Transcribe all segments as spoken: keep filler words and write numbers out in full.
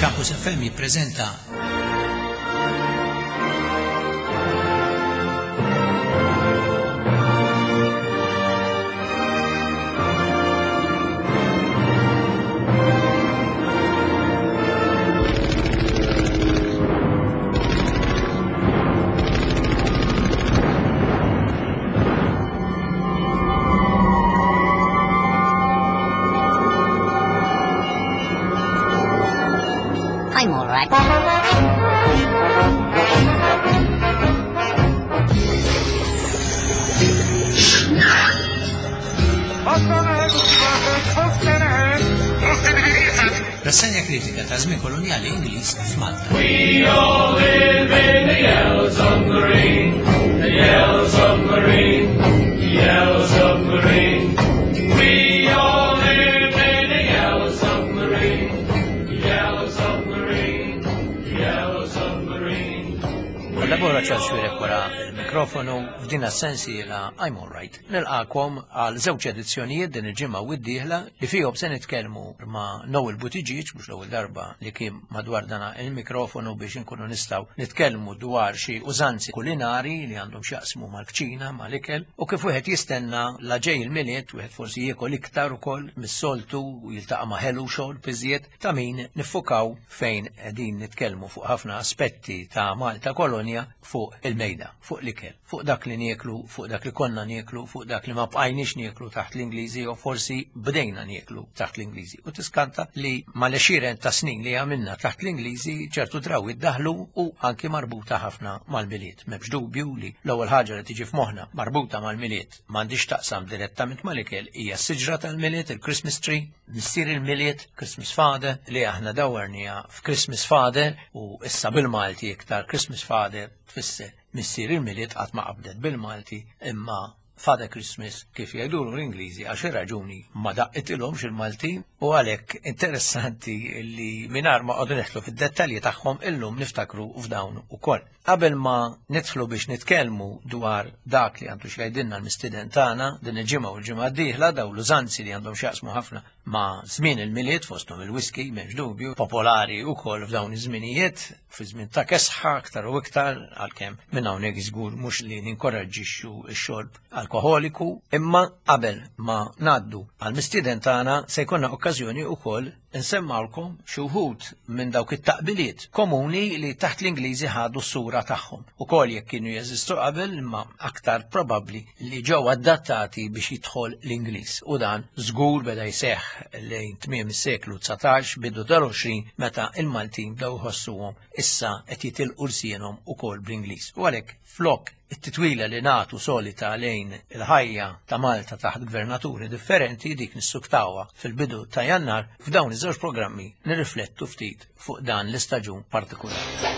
Campus F M jippreżenta I'm all right. Rassenja kritika ta' żmien kolonjali Ingliż f'Malta. We all live in a yellow submarine, a yellow submarine, a yellow submarine. We all live in a yellow submarine, a yellow submarine, a yellow submarine. Kollabora Charles Xuereb wara il-mikrofonu f'din is-sensiela I'm All Right. Nilqakom għal żewġ edizzjonijiet din il-ġimgħa u d-dieħla li fihom se nitkellmu ma' Noel Buttigieg, mhux l-ewwel darba li kien madwar dana il-mikrofonu biex inkunu nistgħu nitkellmu dwar xi użanzi kulinari li għandhom x'jaqsmu mal-kċina, mal-ikel, u kif wieħed jistenna la ġej il-Milied, wieħed forsi jiekol iktar ukoll mis-soltu u jiltaqa' ma' ħelu xogħol biżjed ta' min niffukaw fejn qegħdin nitkellmu fuq ħafna aspetti ta' Malta kolonja fuq il-mejda, fuq l-ikel, fuq dak li nieklu, fuq dak li konna nieklu, fuq dak li ma bqajniex nieklu taħt l-Ingliżi u forsi bdejna nieklu taħt l-Ingliżi. U tiskanta li mal-għexieren ta' snin li għamilna taħt l-Ingliżi ċertu drawiet daħlu u anki marbuta ħafna mal-Milied. M'hemmx dubju li l-ewwel ħaġa li tiġi f'moħħna marbuta mal-Milied m'għandix taqsam direttament mal-ikel hija s-siġra tal-Milied, il-Christmas tree, missier il-Milied, Christmas Father, li aħna dawwarniha f'Christmas Father u issa bil-Malti iktar Christmas Father tfisser missier il-Milied, qatt ma qabdet bil-Malti, imma Father Christmas kif jgħidulu l-Ingliżi għax raġuni ma daqqitilhomx il-Maltin u għalhekk interessanti li mingħajr ma qogħdu nidħlu fid-dettalji tagħhom illum niftakru f'dawn ukoll. Qabel ma nidħlu biex nitkellmu dwar dak li għandu x'jgħidilna l-mistieden tagħna din il-ġimgħa u l-ġimgħa d-dieħla, daw l-użanzi li għandhom x'jaqsmu ħafna ma' żmien il-Milied, fosthom il-whisky, m'hemmx dubju, popolari wkoll f'dawn iż-żminijiet, fi żmien ta' kesħa aktar u iktar, għalkemm minn hawnhekk żgur mhux li ninkoraġġixxu x-xorb alkoholiku, imma qabel ma ngħaddu għall-mistieden tagħna se jkollna okkażjoni wkoll insemmawlkom xi wħud minn dawk it-taqbiliet komuni li taħt l-Ingliżi ħadu s-sura tagħhom. Ukoll jekk kienu jeżistu qabel, imma aktar probabbli li ġew adattati biex jidħol l-Ingliż. U dan żgur beda jseħħ lejn tmiem is-seklu dsatax, bidu tal-għoxrin, meta il-Maltin bdew jħossuhom issa qed jitilqu lsienhom ukoll bl-Ingliż. U għalhekk flok it-titwila li nagħtu solita lejn il-ħajja ta' Malta taħt gvernaturi differenti, dik nissuktawha fil-bidu ta' Jannar, f'dawn iż-żewġ programmi nirriflettu ftit fuq dan l-istaġun partikolari.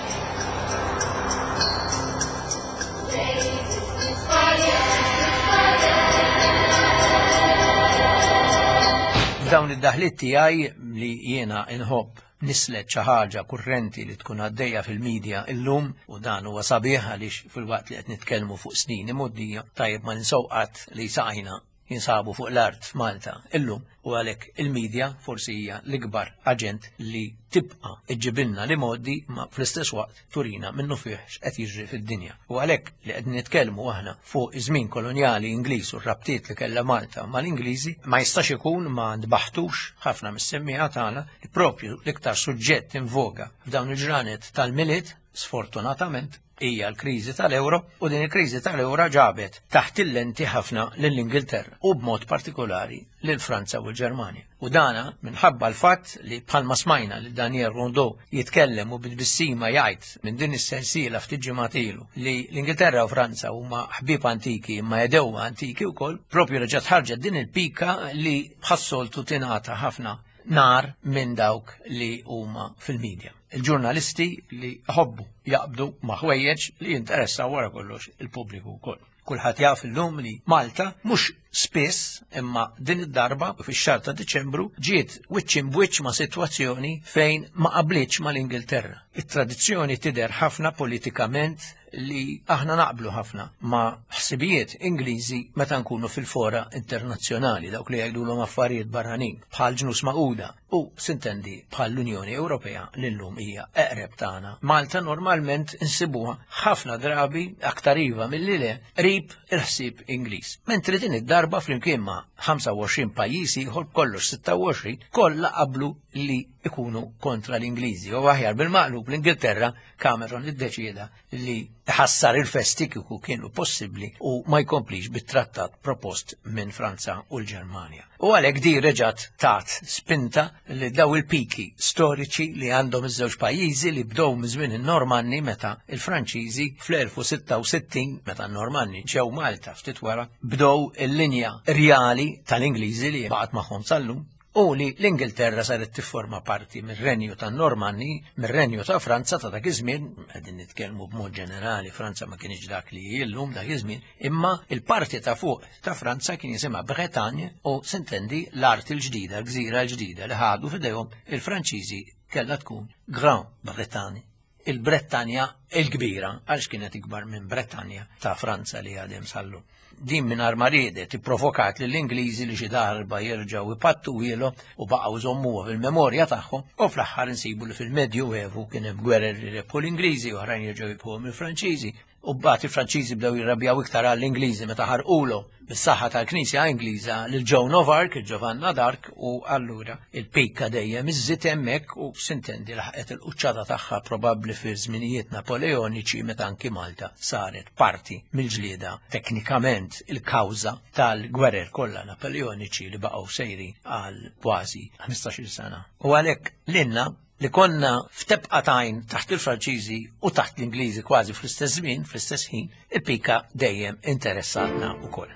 F'dawn id-daħliet tiegħi li jiena inħobb nislet xi ħaġa kurrenti li tkun għaddejja fil-medja illum, u dan huwa sabiħ għaliex fil-waqt li qed nitkellmu fuq snin imgħoddija tajjeb ma ninsew qatt li saqajna jinsabu fuq l-art f'Malta illum, u għalhekk il-medja forsi hija l-ikbar aġent li tibqa' iġġibilna li modi ma fl-istess waqt turina minnu fih x'qed jiġri fid-dinja. U għalhekk li qed nitkellmu aħna fuq iż-żmien kolonjali Ingliż u r-rabtiet li kellha Malta mal-Ingliżi, ma jistax ikun ma nbaħtux ħafna mis-semmiegħa tagħna li propju l-iktar suġġett in voga f'dawn il-ġranet tal-Milied, sfortunatament, hija l-kriżi tal-euro, u din il-kriżi tal-euro ġabet taħt il-lenti ħafna lill-Ingilterra u b'mod partikolari lil Franza u l-Ġermanja. U dana minħabba l-fatt li bħalma smajna li Daniel Rondeau jitkellem u bit-tbissima jgħid minn din is-sensiela ftit ġimgħat ilu li l-Ingilterra u Franza huma ħbieb antiki imma jedewwa antiki wkoll, propju reġgħet ħarġet din il-pika li bħas-soltu tingħata ħafna nar minn dawk li huma fil-medja. Il-ġurnalisti li ħobbu jaqbdu ma' ħwejjeġ li jinteressaw wara kollox il-pubbliku wkoll. Kulħadd jaf illum li Malta mhux spiss imma din id-darba fix-xahar ta' Diċembru ġiet wiċċ imbwiċċ ma' sitwazzjoni fejn ma qablitx mal-Ingilterra. It-tradizzjoni tidher ħafna politikament li aħna naqblu ħafna ma' ħsibijiet Ingliżi meta nkunu fil-fora internazzjonali, dawk li jgħidulhom affarijiet barranin bħal Ġnus Magħquda u sintendi bħal l-Unjoni Ewropea li llum hija eqreb tagħna. Malta normalment insibuha ħafna drabi aktar iva milli le qrib il-ħsieb Ingliż. Mentri din id-darba flimkien ma' ħamsa u għoxrin pajjiż ieħor kollox sitta u għoxrin kollha qablu li ikunu kontra l-Ingliżi. U aħjar bil-maqlub l-Ingilterra Cameron iddeċieda li ħassar il-festi kieku kienu possibbli u ma jkomplix bit-trattat propost minn Franza u l-Ġermanja. U għalhekk di reġgħet tat spinta li daw il-piki storiċi li għandhom iż-żewġ pajjiżi li bdew minn żmien in-Normanni meta il-Franċiżi fl-elf u sitta u sittin, meta n-Normanni ġew Malta ftit wara, bdew il-linja rjali tal-Ingliżi li baqgħet magħhom sal-lum, u li l-Ingilterra saret tifforma parti mir-Renju tan-Normanni, mir-Renju ta' Franza ta' dak iż-żmien, qegħdin nitkellmu b'mod ġenerali, Franza ma kienx dak li hi llum dak iż-żmien, imma il-parti ta' fuq ta' Franza kien jisimha Bretagne u sintendi l-art il-ġdida, l-gżira l-ġdida li ħadu f'idejhom il-Franċiżi kellha tkun Grand Bretagne, il-Bretanja il-kbira, għalx kienet ikbar minn Bretanja ta' Franza li għadhem sal-lum. Din minn ma riedet ipprovokat lill-Ingliżi li xi darba jerġgħu ipattu ilhom u baqgħu jżommuha fil-memorja tagħhom, u fl-aħħar insibu li fil-Medju Evu kien hemm gwerer li rebħu l-Ingliżi u oħrajn jerġgħu jibħuhom il-Franċiżi. U mbagħad il-Franċiżi bdew jirrabjaw iktar għall-Ingliżi meta ħarqulhom bis-saħħa tal-Knisja Ingliża lil Joan of Arc, il-Giovanna d'Arc, u allura il-pika dejjem iżżid hemmhekk u sintendi laħqet il-quċċata tagħha probabbli fi żminijiet Napoleoniċi meta anki Malta saret parti mill-ġlieda teknikament il-kawża tal-gwerer kollha Napoleoniċi li baqgħu sejri għal kważi ħmistax-il sena. U għalhekk lilna li konna f'tebqa tajn taħt il-Franċiżi u taħt l-Ingliżi kważi fl-istess żmien, fl-istess ħin, il-pika dejjem interessatna wkoll.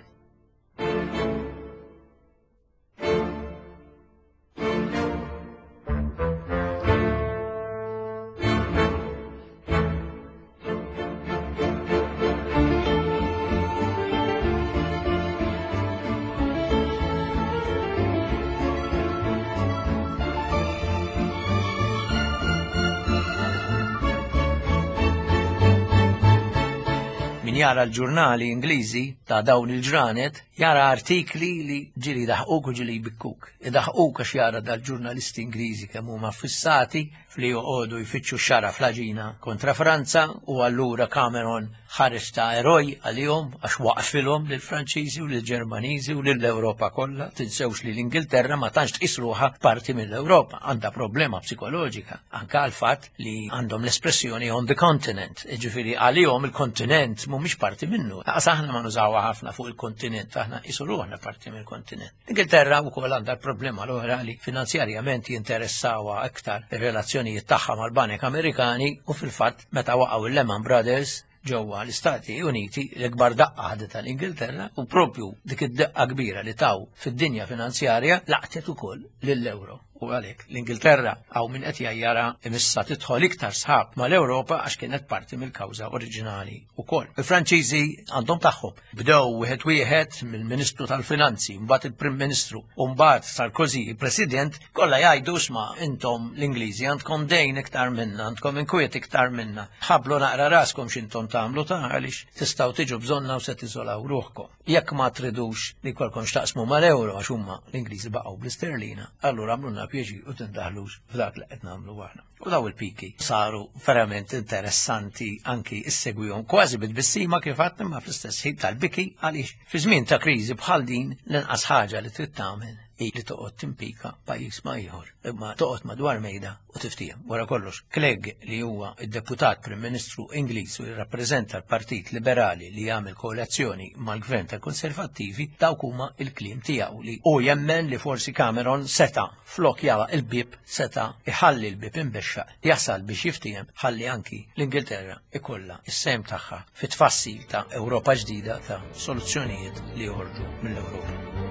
Min jara l-ġurnali Ingliżi ta' dawn il-ġranet, jara artikli li ġili daħquk u ġili jbikkuk. Idaħquk għax jara dal-ġurnalisti Ingliżi kemm huma fissati fli joqogħdu jfittxu xara fl-aġina kontra Franza, u allura Cameron ħareġ ta' eroj għalihom għax waqfilhom lill-Franċiżi u lill-Ġermaniżi u lill-Ewropa kollha. Tinsewx li l-Ingilterra ma tantx tqis ruħha parti mill-Ewropa, għandha problema psikoloġika anke għal fatt li għandhom l-espressjoni on the continent, jiġifieri għalihom il-kontinent mhumiex parti minnu. Laqas aħna ma nużawha ħafna fuq il-kontinent, aħna qisu ruħna parti mill-kontinent. L-Ingilterra wkoll għandha l-problema l-oħra li finanzjarjament jinteressawha aktar ir-relazzjonijiet tagħha mal-Banek Amerikani, u fil-fatt meta waqgħu il-Lehman Brothers ġewwa l-Istati Uniti l-ikbar daqqa ħadet tal-Ingilterra, u propju dik id-daqqa kbira li taw fid-dinja finanzjarja laqtet ukoll lill-euro. U għalhekk l-Ingilterra hawn min qed jgħajjara imissa tidħol iktar sħab mal-Ewropa għax kienet parti mill-kawża oriġinali wkoll. Il-Franċiżi għandhom tagħhom. Bdew wieħed wieħed mill-Ministru tal-Finanzi, mbagħad il-Prim Ministru, u mbagħad Sarkozy, il-President, kollha jgħidu sma' intom l-Ingliżi għandkom dejn iktar minna, għandkom inkwiet iktar minna. Ħablu naqra raskom x'intom tagħmlu ta' għaliex tistgħu tiġu bżonna u se tiżolaw ruħkom. Jekk ma tridux li jkollkom x'taqsmu mal-euro għax huma l-Ingliżi baqgħu bl-isterlina, allura għamlulna pjaċir u tindaħlux f'dak li qed nagħmlu aħna. U daw il-piki saru verament interessanti anki issegwihom kważi bit-tbissima kif għadt, imma fl-istess ħin tal-biki għaliex fi żmien ta' kriżi bħal din l-inqas ħaġa li trid tagħmel hi li toqgħod timpika pajjiż ma' ieħor, imma toqgħod madwar mejda u tiftiehem. Wara kollox, Clegg li huwa id-deputat Prim Ministru Ingliż u jirrappreżenta l-Partit Liberali li jagħmel koalizzjoni mal-Gvern tal-Konservattivi, dawk huma l-kliem tiegħu li hu jemmen li forsi Cameron seta' flok jara il-bib seta' iħalli l-bib imbexxaq jasal biex jiftiehem ħalli anki l-Ingilterra ikollha is-sehem tagħha fit-tfassil ta' Ewropa ġdida ta' soluzzjonijiet li joħorġu mill-Ewropa.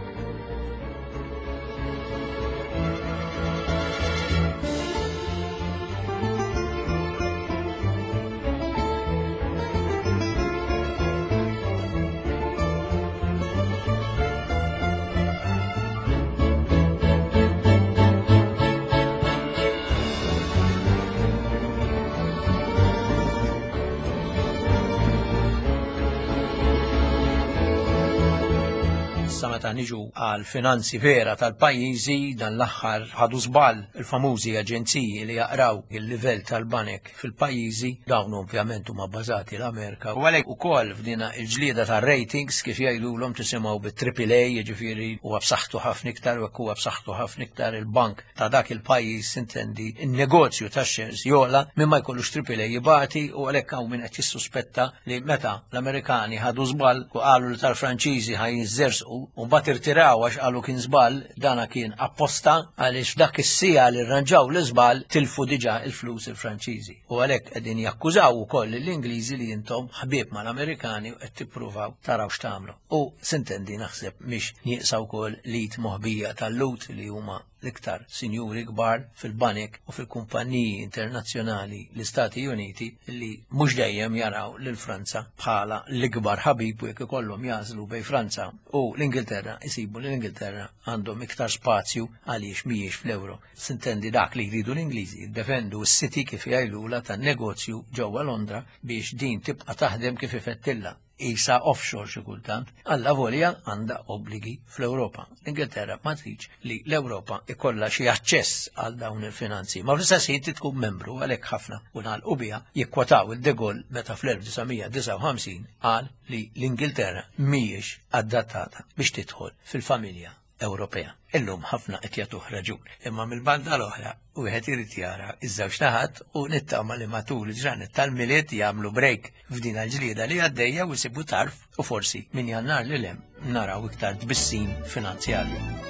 meta niġu għal finanzi vera tal-pajjiżi, dan l-aħħar ħadu żball il-famużi aġenziji li jaqraw il-livell tal-banek fil-pajjiżi, dawn ovvjament huma bbażati l-Amerika. U għalhekk ukoll f'dina il-ġlieda tar-ratings kif jgħidulhom tisimgħu bit-triple A, jiġifieri huwa b'saħħtu ħafna iktar u hekk huwa b'saħħtu ħafna iktar il-bank ta' dak il-pajjiż intendi in-negozju tax-shares jola minn ma jkollux triple A jibati, u għalhekk hawn min qed jissuspetta li meta l-Amerikani ħadu żball u qalu li tal-Franċiżi ħaj jiżżersqu u mbagħad irtiraw għax qalu kien żball, dana kien apposta għaliex f'dak is-sija li rranġaw l-iżball tilfu diġà il-flus il-Franċiżi. U għalhekk qegħdin jakkużaw ukoll l-Ingliżi li intom ħbieb mal-Amerikani u qed tippruvaw taraw x'tagħmlu. U sintendi naħseb mhix nieqsa wkoll lit moħbija tal-lut li huma l-iktar sinjuri kbar fil-banek u fil-kumpaniji internazzjonali l-Istati Uniti li mhux dejjem jaraw lil Franza bħala l-ikbar ħabib, u jekk ikollhom jażlu bejn Franza u l-Ingilterra isibu li l-Ingilterra għandhom iktar spazju għaliex mhijiex fl-euro. Sintendi dak li jridu l-Ingliżi jiddefendu s-City kif jgħidulha tan-negozju ġewwa Londra biex din tibqa' taħdem kif ifettilla. Isa offshore xi kultant, alla volja għandha obbligi fl-Ewropa. L-Ingilterra ma tridx li l-Ewropa ikollha xi aċċess għal dawn il-finanzi. Ma fl-istess ħin tkun membru għalhekk ħafna u nagħlqu biha jikkwataw il-De Gaulle meta fl-elf disa' mija disgħa u ħamsin qal li l-Ingilterra mhijiex adattata biex tidħol fil-familja Ewropea. Illum ħafna qed jagħtuh raġun, imma mill-banda l-oħra wieħed irid jara iż-żewġ naħat u nittama li matul il-ġranet tal-Milied jagħmlu break f'din il-ġlieda li għaddejja u jsibu tarf u forsi minn Jannar lil hemm naraw iktar tbissim finanzjarju.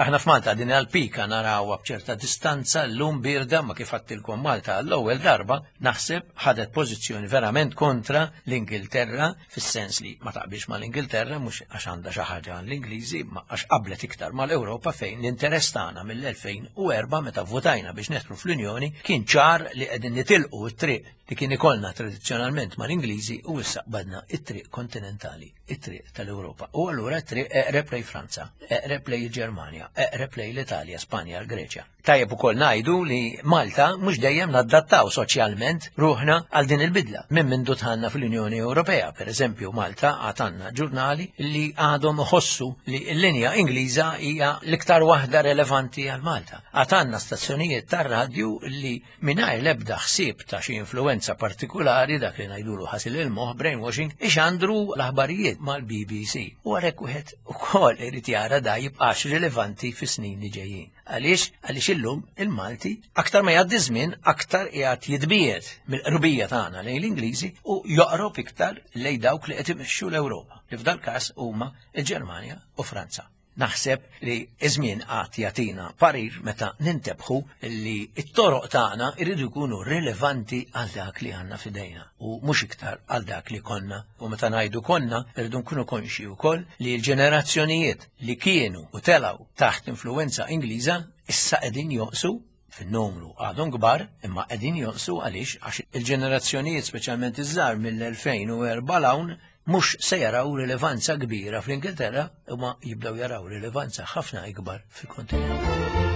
Aħna f'Malta din għal-pika narawha b'ċerta distanza llum birda, ma kif għattilkom Malta għall-ewwel darba naħseb ħadet pożizzjoni verament kontra l-Ingilterra, fis-sens li ma taqbilx mal-Ingilterra mhux għax għandha xi ħaġa l-Ingliżi, ma għax qablet iktar mal-Ewropa fejn l-interess tagħna mill-elfejn u erba' meta votajna biex neħtru fl-Unjoni kien ċar li qegħdin nitilqu t-triq li kien ikollna tradizzjonalment mal-Ingliżi u issa qbadna it-triq kontinentali, it-triq tal-Ewropa. U allura t-triq eqreb lejn Franza, eqreb lejn il-Ġermanja, eqreb lejn l-Italja, Spanja, l-Greċja. Tajjeb ukoll ngħidu li Malta mhux dejjem nadattaw soċjalment ruħna għal din il-bidla. Minn mindu dħalna fl-Unjoni Ewropea, per eżempju, Malta għad għandna ġurnali li għadhom iħossu li l-linja Ingliża hija l-iktar waħda relevanti għal Malta. Għad għandna stazzjonijiet tar-radju li mingħajr l-ebda ħsieb ta' xi influenza partikolari, dak li ngħidulu ħasil il-moħħ, brainwashing, ixandru l-aħbarijiet mal-B B C. U għalhekk wieħed ukoll irid jara da jibqax rilevanti fis-snin li ġejjin. Għaliex? Għaliex illum il-Malti aktar ma jgħaddi żmien aktar qiegħed jitbiegħed mill-qrubija tagħna lejn l-Ingliżi u joqrob iktar lejn dawk li qed imexxu l-Ewropa, li f'dal każ huma l-Ġermanja u Franza. Naħseb li iż-żmien qatt jagħtina parir meta nintebħu li t-toroq tagħna jridu jkunu rilevanti għal dak li għandna f'idejna u mhux iktar għal dak li konna. U meta ngħidu konna, irridu nkunu konxi wkoll li l-ġenerazzjonijiet li kienu u telgħu taħt influenza Ingliża issa qegħdin joqsu fin-numru, għadhom kbar, imma qegħdin joqsu għaliex għax il-ġenerazzjonijiet speċjalment iż-żgħar mill-elfejn u erba' 'l hawn mhux se jaraw rilevanza kbira fl-Ingilterra, imma jibdew jaraw rilevanza ħafna ikbar fil-kontinent.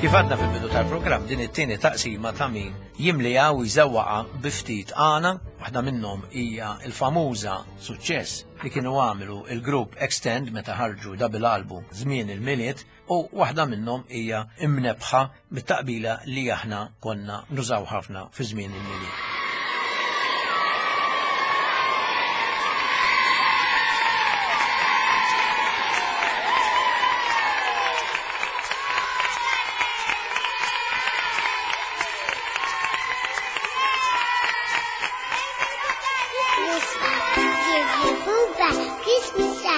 Kif għadna fil-bidu tal-programm, din it-tieni taqsima ta' min jimliha u jżewwaqa bi ftit għana, waħda minnhom hija l-famuża suċċess li kienu għamlu il-grupp Extend meta ħarġu double album żmien il-Milied, u waħda minnhom hija imnebħa mit-taqbila li aħna konna nużaw ħafna fi żmien il-Milied. Christmas.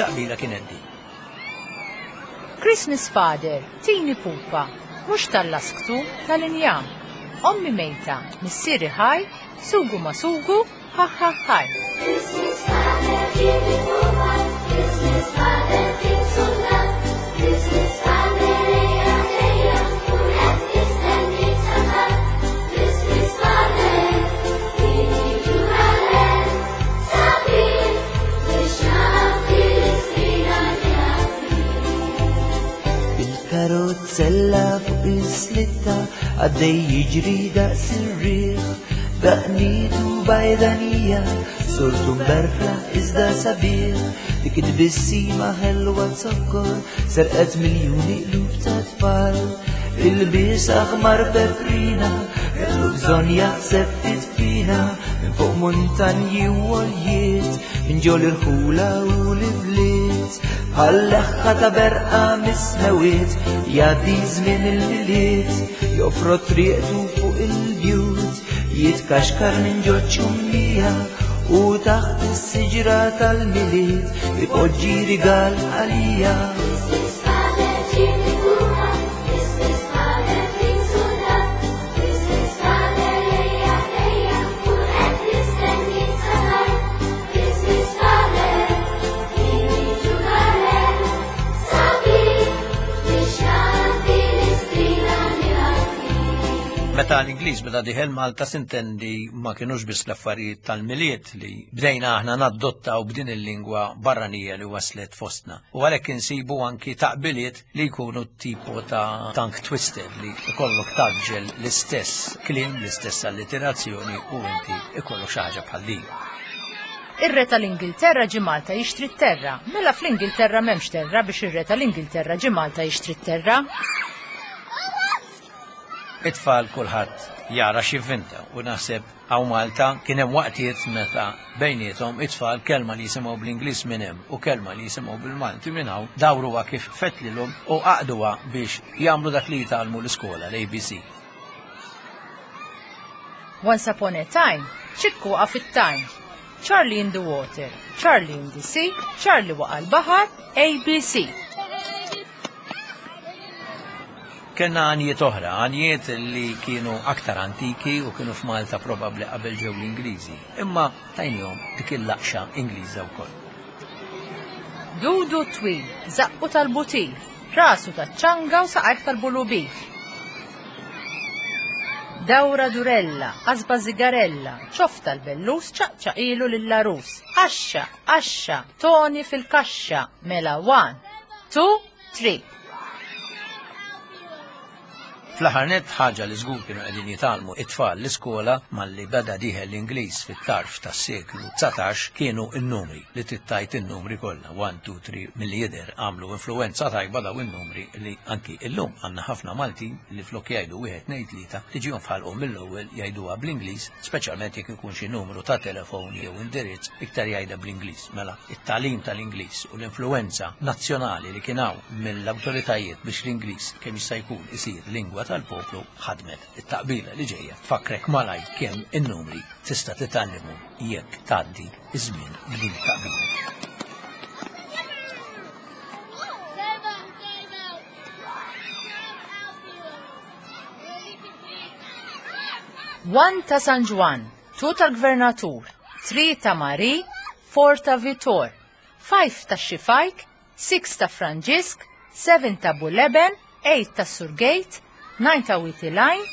It-taqbila kienet din. Christmas Father, tini pupa, mhux tal-lasktu, tal-injam. Ommi mejta, missieri ħaj, sugu ma sugu, ha ha ħaj. Christmas Father, ġibli pupa, Christmas Father, tini suldat, Christmas Father, ejja ejja, kun qed nistenni saħar. Christmas Father, tini ġugarell, sabiħ, biex nagħti l-istrina Il-karozzella fuq is-slitta għaddej jiġri daqs ir-riħ, daqnitu bajdanija, surtu mberfla iżda sabiħ, dik it-tbissima ħelwa zokkor, serqet miljuni qlub ta' tfal. Ilbies aħmar peprina, kellu bżonn jaħseb ftit fina, minn fuq muntanji u għoljiet, minn ġol irħula u l-ibliet. Bħal-leħħa ta' berqa mis-smewwiet, jgħaddi żmien il-Milied, jofrod triqtu fuq il-bjut, jitkaxkar minn ġo ċumnija, u taħt is-siġra tal-Milied, ipoġġi rigal għalija. Christmas Father, ġibli pupa, Christmas Father, tini suldat, Christmas Father, ejja ejja, kun qed nistenni saħar. Christmas Father, tini ġugarell, sabiħ, biex nagħti l-istrina li Meta l-Ingliż beda dieħel Malta sintendi ma kienux biss l-affarijiet tal-Milied li bdejna aħna nadottaw b'din il-lingwa barranija li waslet fostna. U għalhekk insibu anki taqbiliet li jkunu tipo ta' tongue twister li ikollok tgħaġġel l-istess kliem, l-istess alliterazzjoni u inti ikollok xi ħaġa bħal din. Ir-re tal-Ingilterra ġi Malta jixtri t-terra. Mela fl-Ingilterra m'hemmx terra biex ir-re tal-Ingilterra ġi Malta jixtri t-terra. It-tfal kulħadd jara x'jivvinta u naħseb hawn Malta kien hemm waqtiet meta bejniethom it-tfal kelma li jisimgħu bl-Ingliż minn hemm u kelma li jisimgħu bil-Malti minn hawn dawruha kif fetlilhom u għaqduha biex jagħmlu dak li jitgħallmu l-iskola l-A B C. Once upon a time, Ċikku waqa' fit-tajn. Charlie in the water, Charlie in the sea, Charlie waqa' l-baħar, A B C. Kellna għanjiet oħra, għanjiet li kienu aktar antiki u kienu f'Malta probabbli qabel ġew l-Ingliżi, imma tajnihom dik il-laqxa Ingliża wkoll. Dudu twil, zaqqu tal-butir, rasu taċ-ċanga u saqajh tal-bulubir. Dawra durella, qasba zigarella, ċoff tal-bellus, ċaqċaqilu lill-għarus. Għaxxa, għaxxa, Toni fil-kaxxa, mela one, two, three. Fl-aħħar nett ħaġa li żgur kienu qegħdin jitgħallmu it-tfal l-iskola malli beda dieħel l-Ingliż fit-tarf tas-seklu dsatax kienu n-numri li tittajt in-numri kollha one, two, three. Milli jidher għamlu influenza tajba daw in-numri li anki illum għandna ħafna Maltin li flok jgħidu wieħed tnejn tlieta tiġihom f'ħalqhom mill-ewwel jgħiduha bl-Ingliż, speċjalment jekk ikun xi numru ta' telefon jew indirizz iktar jgħidha bl-Ingliż. Mela it-tagħlim tal-Ingliż u l-influenza nazzjonali li kien hawn mill-awtoritajiet biex l-Ingliż kemm jista' jkun isir lingwa tal-poplu ħadmet. It-taqbila li ġejja tfakkrek malaj kemm in-numri tista' titgħallimhom jekk tgħaddi iż-żmien b'din it-taqbila. Time out, time out. One ta' San Ġwann, two tal-Gvernatur, three ta' Mari, four ta' Vitor, five ta' Xifajk, six ta' Franġisk, seven ta' Buleben, eight ta' Surgate, nine ta' Witiline,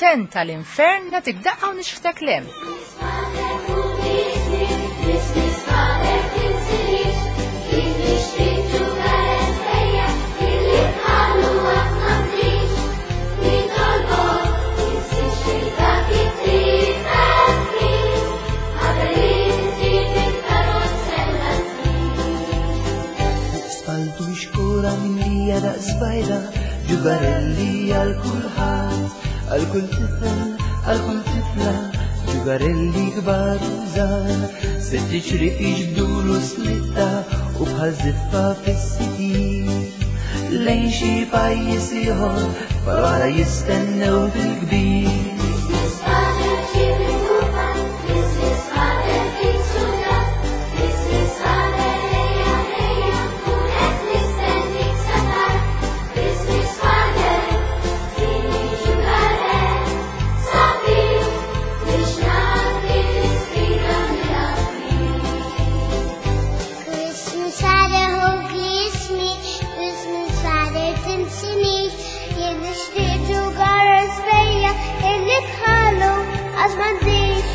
ten tal-Infern, nagħtik daqqa u nixħtek 'l hemm. Christmas Father, tinsilix, kif nixtri ġugarell ejja, illi bħalu qatt m'għandix. Nitolbok, tinsiex lil dak it-tifel fqir, qabel inti fil-karozzella ttir. Spaltu xkura mimlija daqs bajda, ġugarelli għal kulħadd, għal kull tifel, għal kull tifla, ġugarelli kbar u żgħar, sitt ċrief jiġbdulu slitta u bħal żiffa fis-sitir. Lejn xi pajjiż ieħor, tfal oħra jistennew bil-kbir. Christmas Father, ġibli pupa, Christmas Father, tini suldat, Christmas Father, ejja ejja, Għax m'għandix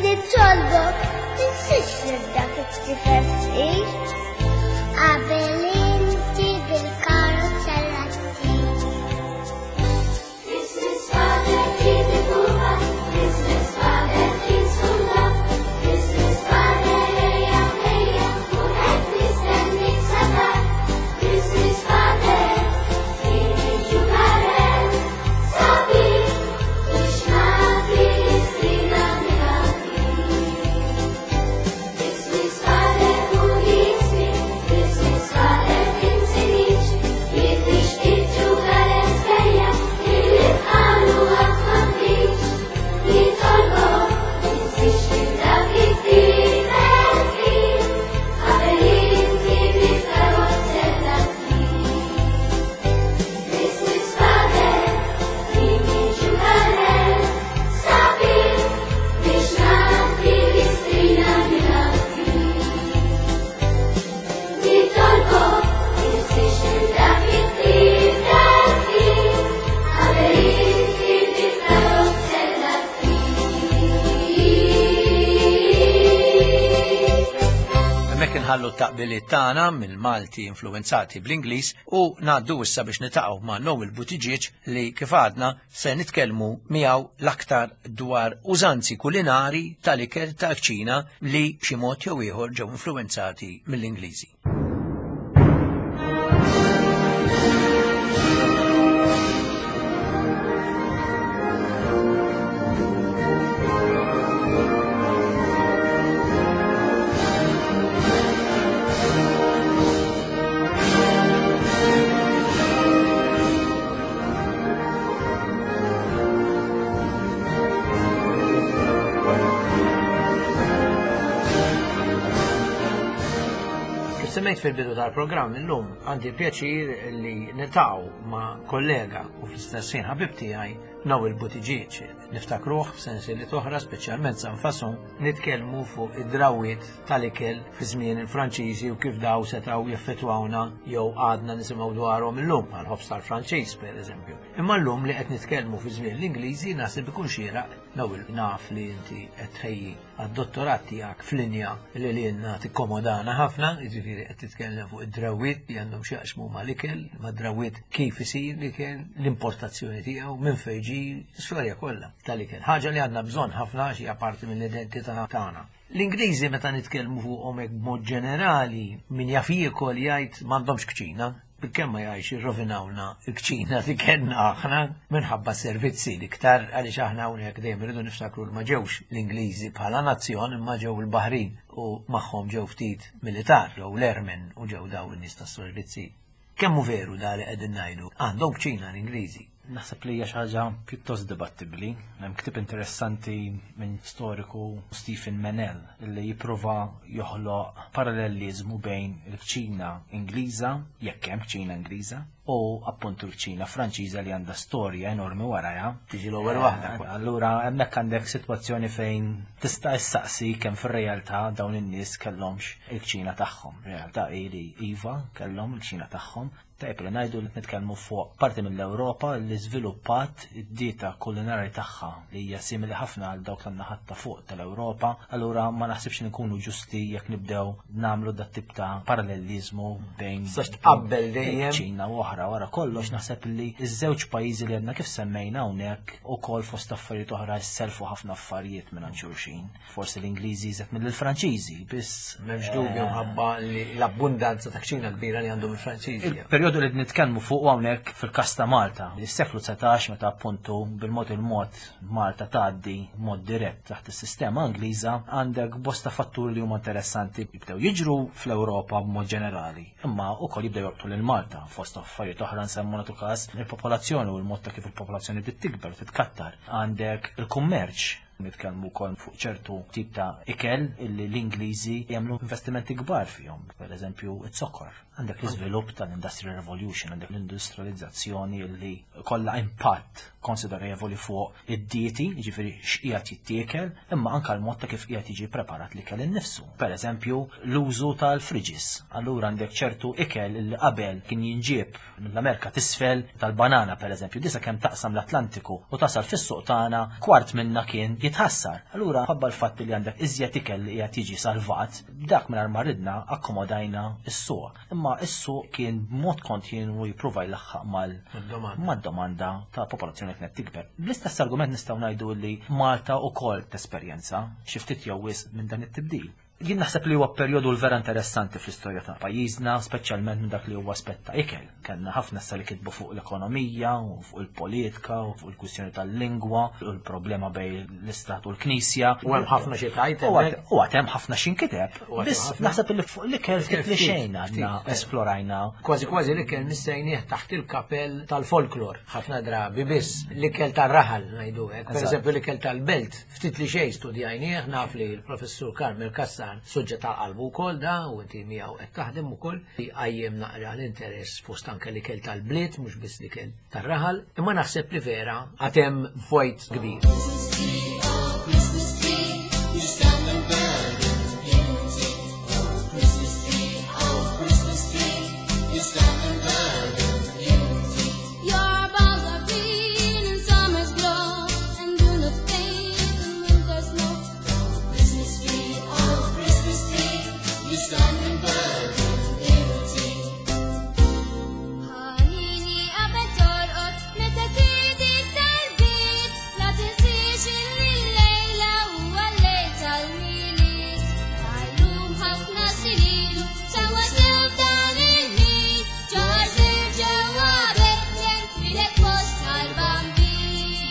nitolbok, tinsiex lil dak it-tifel fqir. Qabel inti bil-karozza ttir. Christmas Father, keep it pupa. Christmas Father, keep some love. Christmas Father, ejja, ejja, u qed nistennik sa tard. Christmas Father, keep it ġugarel, sabiħ, biex nagħti l-istrina minn. Christmas Father, u jismi, Christmas Father, tinsinix, jien nixtieq ġugarel sbejjaħ, illi bħalu qatt m'għandix. Nitolbok, tinsiex lil dak it-tifel fqir, qabel inti bil-karozzella ttir. Christmas Father, tini ġugarel, sabiħ, biex nagħti l-istrina minn. Nitolbok, tinsiex lil dak it-tifel fqir, qabel inti bil-karozzella ttir. Hemmhekk inħallu t-taqbiliet tagħna mill-Malti influenzati bl-Ingliż u ngħaddu issa biex niltaqgħu ma' Noel Buttigieg li kif għadna se nitkellmu miegħu l-aktar dwar użanzi kulinari tal-ikel ta' kċina li b'xi mod jew ieħor ġew influenzati mill-Ingliżi. Kif semmejt fil-bidu tal-programm illum għandi pjaċir li niltaqgħu ma' kollega u fl-istess ħin ħabib tiegħi Noel Buttigieg. Niftakruh f'sensieli oħra, speċjalment San Fason, nitkellmu fuq id-drawiet tal-ikel fi żmien il-Franċiżi u kif daw setgħu jaffettwawna jew għadna nisimgħu dwarhom illum bħal ħobż tal-Franċiż pereżempju. Imma llum li qed nitkellmu fi żmien l-Ingliżi naħseb ikun xieraq. Noel, naf li inti qed tħejji għad-dottorat tiegħek f'linja li lilna tikkomodana ħafna, jiġifieri qed titkellem fuq id-drawiet li għandhom x'jaqsmu mal-ikel, mad-drawiet kif isir l-ikel, l-importazzjoni tiegħu, minn fejn ġie, l-istorja kollha tal-ikel. Ħaġa li għandna bżonn ħafna għax hija parti mill-identità tagħna. L-Ingliżi meta nitkellmu fuqhom hekk b'mod ġenerali, min jaf jiekol jgħid m'għandhomx kċina, bilkemm ma jgħidx irrovinawna l-kċina li kellna aħna minħabba servizzi l-iktar għaliex aħna hawnhekk dejjem irridu niftakru li ma ġewx l-Ingliżi bħala nazzjon imma ġew il-Baħrin u magħhom ġew ftit militar jew l-airmen u ġew daw in-nies tas-servizzi. Kemm hu veru da li qegħdin ngħidu? Għandhom kċina l-Ingliżi. Naħseb li hija xi ħaġa pjuttost dibattibbli. Hemm ktieb interessanti minn storiku Stephen Mennell li jipprova joħloq paralleliżmu bejn il-kċina Ingliża, jekk hemm kċina Ingliża, u appuntu l-kċina Franċiża li għandha storja enormi warajha. Tiġi l-ewwel waħda. Eh, Allura hemmhekk għandek sitwazzjoni fejn tista' issaqsi kemm fir-realtà dawn in-nies kellhomx il-kċina tagħhom. Realtà hi li iva kellhom il-kċina tagħhom. Tajjeb li ngħidu li nitkellmu fuq parti mill-Ewropa li żviluppat id-dieta kulinari tagħha li hija simili ħafna għal dawk tan-naħat ta' fuq tal-Ewropa. Allura ma naħsibx li nkunu ġusti jekk nibdew nagħmlu dat tip ta' paralleliżmu bejn Tistax tqabbel dejjem. ċina u oħra. Wara kollox naħseb li iż-żewġ pajjiżi li għedna kif semmejna hawnhekk ukoll fost affarijiet oħra jisselfu ħafna affarijiet minn xulxin. Forsi l-Ingliżi iżjed mill-Franċiżi, biss M'hemmx dubju mħabba li l-abbundanza ta' kċina kbira li għandhom il-Franċiżi. Il-perjodu li nitkellmu fuq hawnhekk fil-każ ta' Malta, is-seklu dsatax meta appuntu bil-mod il-mod Malta tgħaddi mod dirett taħt is-sistema Ingliża, għandek bosta fatturi li huma interessanti jibdew jiġru fl-Ewropa b'mod ġenerali, imma wkoll jibdew jolqtu lil Malta fost affarijiet oħra nsemmu nagħtu każ il-popolazzjoni u l-mod ta' kif il-popolazzjoni bdiet tikber u titkattar. Għandek il-kummerċ, nitkellmu wkoll fuq ċertu tip ta' ikel illi l-Ingliżi jagħmlu investimenti kbar fihom, pereżempju iz-zokkor. Għandek l-iżvilupp tal-Industrial Revolution, għandek l-industrializzazzjoni illi kollha impatt konsiderevoli fuq id-dieti, jiġifieri x'qiegħed jittiekel, imma anke l-mod ta' kif qiegħed jiġi preparat l-ikel innifsu. Pereżempju, l-użu tal-fridges. Allura għandek ċertu ikel illi qabel kien jinġieb mill-Amerika t'isfel tal-banana pereżempju, disa kemm taqsam l-Atlantiku u tasal fis-suq tagħna, kwart minna kien jitħassar. Allura ħabba l-fatt li għandek iżjed ikel li qiegħed jiġi salvat, dak mingħajr ma ridna akkomodajna s-suq. Imma s-suq kien b'mod kontinwu jipprova jlaħħaq mal mad-domanda ta' popolazzjoni kienet tikber. Bl-istess argument nistgħu ngħidu li Malta wkoll tesperjenza xi ftit jew wisq minn dan it-tibdil. Jien naħseb li huwa perjodu l-vera interessanti fl-istorja ta' pajjiżna, speċjalment minn dak li huwa aspett ta' ikel. Kellna ħafna issa li kitbu fuq l-ekonomija, u fuq il-politika, u fuq il-kwistjoni tal-lingwa, u l-problema bejn l-istat u l-knisja. U hemm ħafna xi tgħid U għad- U għad hemm ħafna x'inkiteb. U għad hemm Biss ħafna. naħseb li fuq l-ikel ftit li Ftit, xejn għadna ftit, eh. esplorajna. Kważi kważi l-ikel missejnieh taħt il-kapell tal-folklor, ħafna drabi biss l-ikel tal-raħal ngħidu hekk. Per Eżatt. eżempju l-ikel tal-belt, ftit li xejn studjajnieh, naf li l-professur Carmel Cassar suġġett tal-qalbu wkoll da u inti miegħu qed taħdem ukoll qajjem naqra l-interess fost anke l-ikel tal-bliet, mhux biss l-ikel tar-raħal, imma naħseb li vera għad hemm vojt kbir. Christmas tree, you stand in verdant beauty. Oh, Christmas tree, oh, Christmas tree, you stand in verdant beauty. Your boughs are green in summer's glow and do not fade in winter's snow. Christmas tree, oh, Christmas tree, you stand in verdant beauty. Ħanini qabel torqod meta tidi tal-bit, la tinsiex illi l-lejla huwa l-lejl tal-Milied. Għallum ħafna snin sewwa sew dan il-ħin, ġarżir ġewwa Betlehem twieled fost tal-Bambin.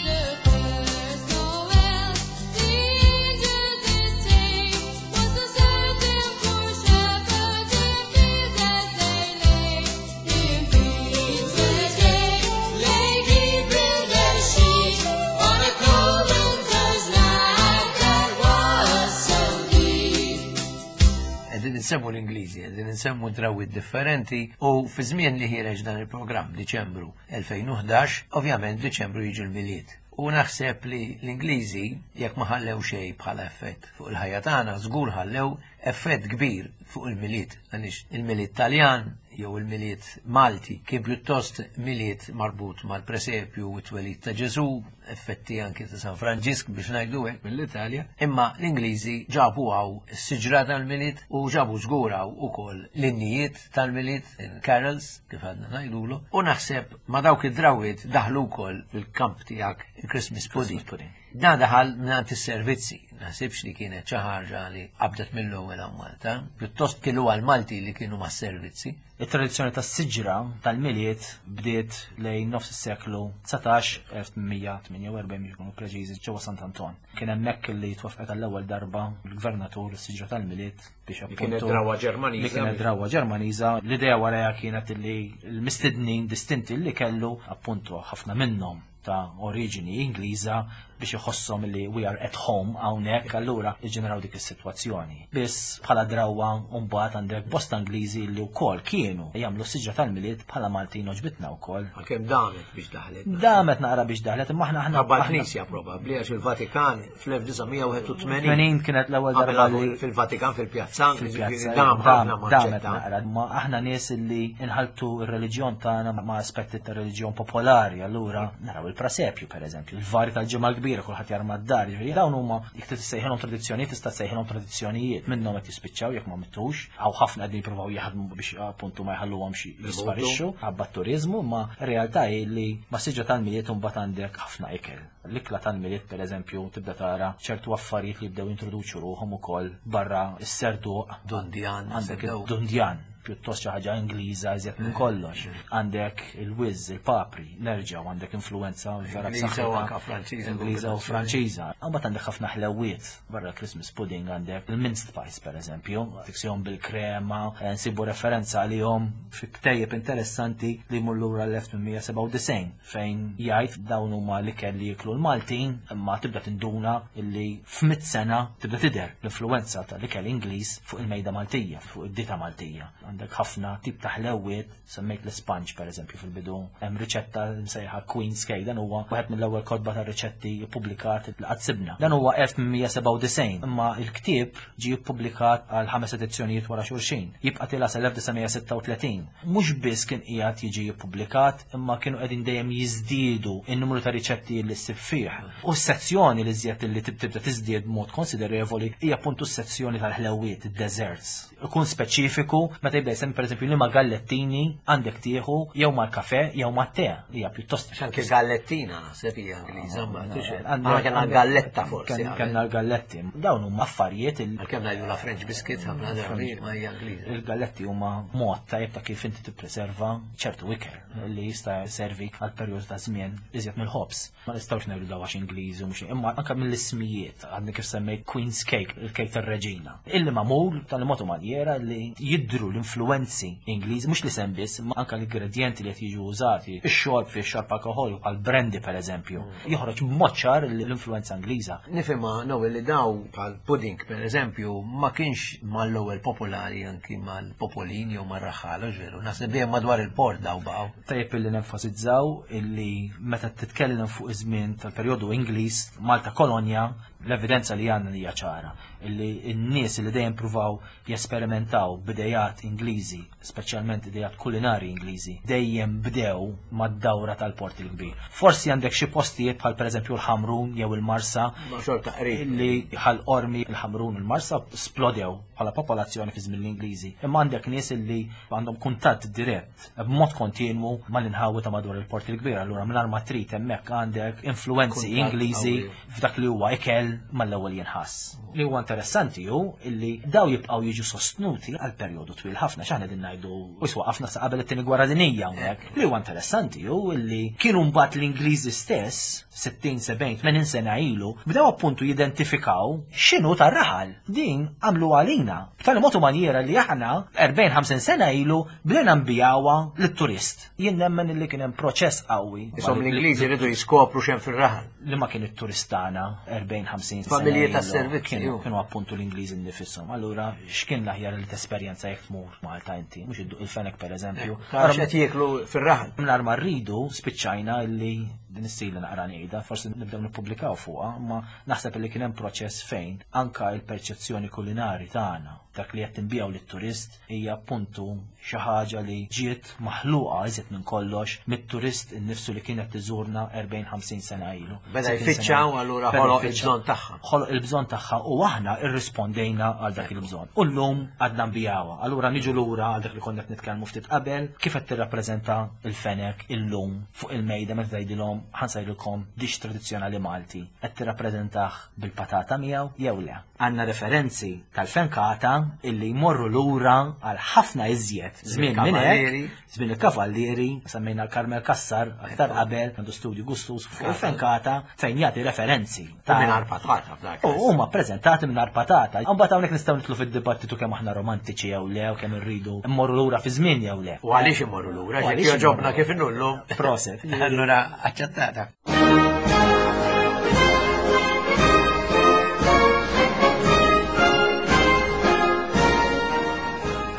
The first Noel, the angel did say, was a certain poor shepherd in fields as they lay. In fields as they lay keeping their sheep on a cold winter's night that was so deep. Qegħdin insemmu l-Ingliżi, qegħdin insemmu drawwiet differenti u fi żmien li ħiereġ dan il-programm Diċembru elfejn u ħdax, ovvjament Diċembru jiġi l-Milied. U naħseb li l-Ingliżi, jekk ma ħallew xejn bħala effett fuq il-ħajja tagħna, żgur ħallew effett kbir fuq il-Milied. Għaliex il-Milied Taljan jew il-Milied Malti kien pjuttost Milied marbut mal-presepju u t-twelid ta' Ġesu, effetti anki ta' San Franġisk biex ngħidu hekk mill-Italja, imma l-Ingliżi ġabu hawn is-siġra tal-Milied u ġabu żgur hawn ukoll l-innijiet tal-Milied, il-carols, kif għadna ngħidulu, u naħseb ma dawk id-drawiet daħlu wkoll fil-kamp tiegħek il-Christmas pudding. Pudding. Dan daħal mingħand is-servizzi, naħsibx li kienet xi ħaġa li qabdet mill-ewwel hawn Malta, pjuttost kienu għal-Malti li kienu mas-servizzi. Il-tradizzjoni tas-siġra tal-Milied bdiet lejn nofs is-seklu dsatax, elf tmien mija tmienja u erbgħin biex ikunu preċiżi, ġewwa Sant'Anton. Kien hemmhekk li twaffqet għall-ewwel darba l-gvernatur is-siġra tal-Milied biex Li kienet appuntu- drawa Ġermaniża. Li kienet drawa Ġermaniża. L-idea warajha kienet li l-mistednin distinti li kellu appuntu ħafna minnhom ta' oriġini Ingliża biex iħosshom li we are at home hawnhekk, allura iġġeneraw dik is-sitwazzjoni. Biss bħala drawa mbagħad għandek bosta Ingliżi li wkoll kienu jagħmlu s-siġra tal-Milied bħala Maltin oġbitna wkoll. Għalkemm damet biex daħlet. Damet naqra biex daħlet, imma aħna aħna Qabba l-Knisja probabbli, għax il-Vatikan fl-elf disa' mija wieħed u tmenin tmenin kienet l-ewwel darba li fil-Vatikan fil-pjazza, fil-pjazza dam ħafna dam- damet maċċetta. naqra. Ma aħna nies li inħaltu r-reliġjon tagħna ma' aspetti ta' reliġjon popolari, allura naraw il-prasepju per eżempju, il-vari tal-Ġimgħa l-Kbira, kulħadd jarma d-dar, jiġifieri dawn huma jekk tista' ssejħilhom tradizzjonijiet, tista' ssejħilhom tradizzjonijiet, minnhom qed jispiċċaw jekk ma mittux, hawn ħafna qegħdin jippruvaw jaħdmu biex appuntu ma jħalluhomx jisparixxu ħabba t-turiżmu, ma r-realtà hi li ma' siġra tal-Milied imbagħad għandek ħafna ikel. L-ikla tal-Milied per eżempju tibda tara ċertu affarijiet li jibdew introduċu ruħhom ukoll barra s-serduq. Dundjan, Għandek sebdew. il-dundjan, pjuttost xi ħaġa Ingliża iżjed minn kollox. Għandek il-wiz, il-papri, nerġgħu għandek influenza vera Ingliża u b'saħħitha. anka Franċiża. Ingliża u Franċiża. Imbagħad għandek ħafna ħlewiet barra Christmas pudding, għandek il-mince pies per eżempju, tiksihom bil-krema, eh, nsibu referenza għalihom fi ktejjeb interessanti li jmur lura l-elf tmien mija sebgħa u disgħin fejn jgħid dawn huma l-ikel li jiklu l-Maltin, imma tibda tinduna illi f'mitt sena tibda tidher l-influenza tal-ikel Ingliż fuq il-mejda Maltija, fuq id-dita Maltija. Għandek Għandek ħafna tip ta' ħlewiet, semmejt l-sponge per eżempju fil-bidu, hemm riċetta msejħa Queen's Cake, dan huwa wieħed mill-ewwel kotba ta' riċetti ppubblikat li qatt sibna. Dan huwa elf tmien mija sebgħa u disgħin, imma l-ktieb ġie ppubblikat għal ħames edizzjonijiet wara xulxin. Jibqa' tilha sal-elf disa' mija sitta u tletin. Mhux biss kien qiegħed jiġi ppubblikat, imma kienu qegħdin dejjem jiżdiedu n-numru ta' riċetti li ssib fih. U s-sezzjoni li żjed li tibda tiżdied b'mod konsiderevoli hija appuntu s-sezzjoni tal-ħlewiet, id-desserts. Ikun speċifiku meta jibda jsemmi pereżempju li ma' gallettini għandek tieħu jew mal-kafe jew mat-te. Hija pjuttost Anke gallettina naħseb hija Ingliża, ma tix. Għandna- Aħna kellna galletta forsi. Kellna kellna l-galletti. Dawn huma affarijiet il- Għalkemm ngħidu la French biscuit ħafna drabi ma hija Ingliża. Il-galletti huma mod tajjeb ta' kif inti tippreserva ċertu ikel li jista' jservi għal perjodu ta' żmien iżjed mill-ħobż. Ma nistgħux ngħidu daw għax Ingliżi u mhux, imma anke mill-ismijiet għandna kif semmejt Queen's Cake, il-kejk tar-reġina. Illi magħmul tal-mod u manjera li jidhru l-influenzi Ingliżi, mhux li sem biss, imma anke l-ingredjenti li qed jiġu użati, ix-xorb fi xorb alkohol għal brandy pereżempju, joħroġ b'mod ċar l-influenza Ingliża. Nifhimha Noel li daw bħal pudding pereżempju ma kienx mal-ewwel popolari anki mal-popolin jew mar-raħħala, ġveru, naħseb dejjem madwar il-port daw baqgħu. Tajjeb illi nenfasizzaw illi meta titkellem fuq iż-żmien tal-perjodu Ingliż, Malta kolonja, l-evidenza li għandna hija ċara illi n-nies li dejjem pruvaw jesperimentaw b'idejat Ingliżi, speċjalment idejat kulinari Ingliżi, dejjem bdew mad-dawra tal-Port il-Kbir. Forsi għandek xi postijiet bħal pereżempju l-Ħamrun jew il-Marsa, Ma xorta qrib. illi ħal Qormi, il-Ħamrun, il-Marsa splodew bħala popolazzjoni fi żmien l-Ingliżi. Imma għandek nies illi għandhom kuntatt dirett b'mod kontinwu mal-inħawi ta' madwar il-Port il-Kbir. Allura mingħajr ma trid hemmhekk għandek influenzi Kuntatt Ingliżi qawwi. f'dak li huwa ikel mal-ewwel jinħass. Li huwa interessanti hu illi daw jibqgħu jiġu sostnuti għal perjodu twil ħafna, x'aħna qegħdin ngħidu u jiswaqafna sa qabel it-tieni gwerra dinjija hawnhekk. Li huwa interessanti hu illi kienu mbagħad l-Ingliżi stess sittin, sebgħin, tmenin sena ilu bdew appuntu jidentifikaw x'inhu tar-raħal. Din għamlu għalina b'tali mod u manjera li aħna erbgħin, ħamsin sena ilu bdejna nbijawha lit-turist. Jien nemmen illi kien hemm proċess qawwi. Isom l-Ingliżi rridu jiskopru x'hemm fir-raħal. Li ma kien it-turistana erbgħin, ħamsin sena Familji ilu. tas-servizzi, Kienu ju. kienu appuntu l-Ingliżi nnifisom. Allura x'kien l-aħjar li tesperjenza jekk tmur Malta inti, mhux idduq il-fenek pereżempju. Tara x'qed jieklu fir-raħal. Mingħajr ma rridu spiċċajna illi din is-sila naqra ngħidha, forsi nibdew nippubblikaw fuqha, imma naħseb li kien hemm proċess fejn anka l-perċezzjoni kulinari tagħna, dak li qed tinbijaw lit-turist hija appuntu xi ħaġa li ġiet maħluqa iżjed minn kollox mit-turist innifsu li kienet tiżurna erbgħin, ħamsin sena ilu. Beda Sittin sena jfittxaw, ilu. allura Beda ħoloq jfittxaw. il-bżonn tagħha. Ħoloq il-bżonn tagħha u aħna irrispondejna għal dak il-bżonn. U llum għadna nbijawha. Allura niġu lura għal dak li konna qed nitkellmu ftit qabel, kif qed tirrappreżenta il-fenek illum fuq il-mejda meta tgħidilhom ħansajlilkom dix tradizzjonali Malti, qed tirrappreżentah bil-patata miegħu jew le. Għandna referenzi tal-fenkata illi jmorru lura għal ħafna iżjed żmien minn hekk, Il-kavallieri. żmien il-kavallieri, semmejna l-Karmel Kassar aktar qabel, għandu studju gustus fuq il-fenkata fejn jagħti referenzi U mingħajr patata f'dak. U huma ppreżentati mingħajr patata. Imbagħad hawnhekk nistgħu nidħlu fid-dibattitu kemm aħna romantiċi jew le, u kemm irridu mmorru lura fi żmien jew le. U għaliex imorru lura, U ġek għaliex joġobna imorru kif inullu. Proset. Allura aċċettata.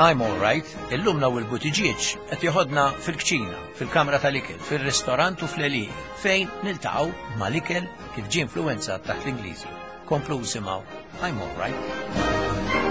I'm all right, illum Noel Buttigieg qed joħodna fil-kċina, fil-kamra tal-ikel, fil-ristorant u fl-għelieqi, fejn niltaqgħu mal-ikel kif ġie influenzat taħt l-Ingliżi. Komplu simgħu I'm all right.